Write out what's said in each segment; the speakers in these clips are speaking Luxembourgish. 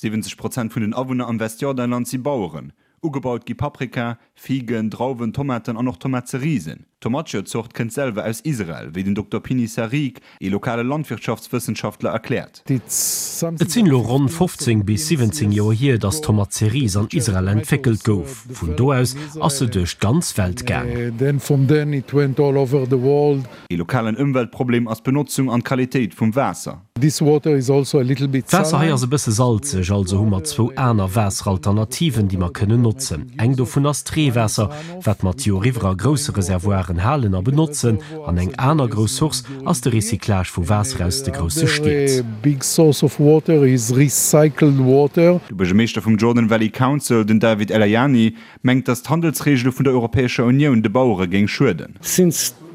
70 Prozent vun den Awunner am Westjordanland si Baueren. Ugebaut gi Paprika, Figen, Drauwen, Tomaten an och Tomatzerisen. D'Tomatio-Zort kënnt selwer aus Israel, wéi den Dokter Pini Sarig, ee lokale Landwirtschaftswëssenschaftler, erkläert. Et sinn elo ronn 15 bis 17 Joer hier, datt d'Tomatzerise an Israel entwéckelt gouf. Vun do aus ass se duerch d'ganz Welt gaang. Ee lokalen Ëmweltproblem ass d'Benotzung an d'Qualitéit vum Waasser. D'Waasser hei ass e bësse salzeg, also hu mer zwou aner Waasseralternativen, déi mer kënnen notzen. Eng dovun ass d'Reewaasser, wat mer d'Joer iwwer a grousse Reservoiren halen a benotzen. An eng aner grouss Source ass de Recyclage vu Waasser aus de grousse Stied. De Buergermeeschter vum Jordan Valley Council, den David Elhayani, mengt, datt d'Handelsreegele vun der Europäescher Unioun de Bauere géing schueden.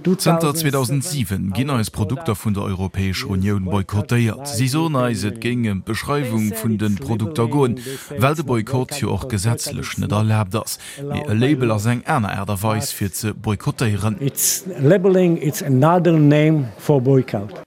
Zënter 2007 ginn eis Produkter vun der Europäescher Unioun boykottéiert. Si soen eis, et géing ëm d'Beschreiwung vun de Produkter goen, well de Boykott jo och gesetzlech net erlaabt ass. Mee e Label ass eng aner Aart a Weis fir ze boykottéieren. An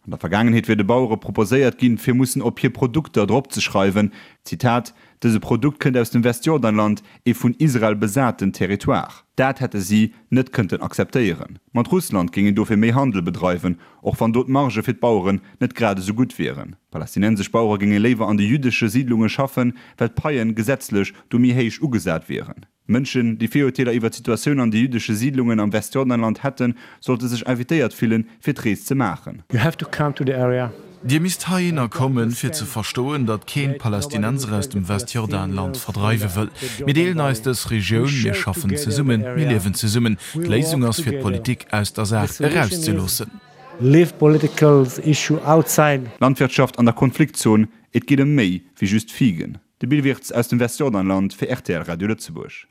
der Vergaangenheet wier de Bauere proposéiert ginn, fir mussen op hir Produkter dropzeschreiwen, Zitat, Dëse Produkt kënnt aus dem Westjordanland, ee vun Israel besaten Territoire. Dat hätte si net kënnten akzeptéieren. Mat Russland géing een dofir méi Handel bedreiwen, och wann do d'Margë fir d'Baueren net grad esou gutt wieren. Palästinensesch Bauere géinge léiwer an de jüddesche Siidlunge schaffen, well d'Paien gesetzlech do méi héich ugesat wieren. Mënschen, déi Virurteeler iwwer d'Situatioun an de jüddesche Siidlungen am Westjordanland hätten, sollte sech invitéiert fillen, fir d'Rees ze maachen. You have to come to the area. Dir misst heihinner kommen, fir ze verstoen, datt keen d'Palästinenser aus dem Westjordanland verdreiwe wëll. Mir deelen eis dës Regioun, mir schaffen zesummen, mir liewen zesummen. D'Léisung ass, fir d'Politik aus der Saach erauszeloossen. Leave political issue outside. Landwirtschaft an der Konfliktzon, Et geet ëm méi wéi just Figen. De Bill Wirtz aus dem Westjordanland fir rtl Radio Lëtzebuerg.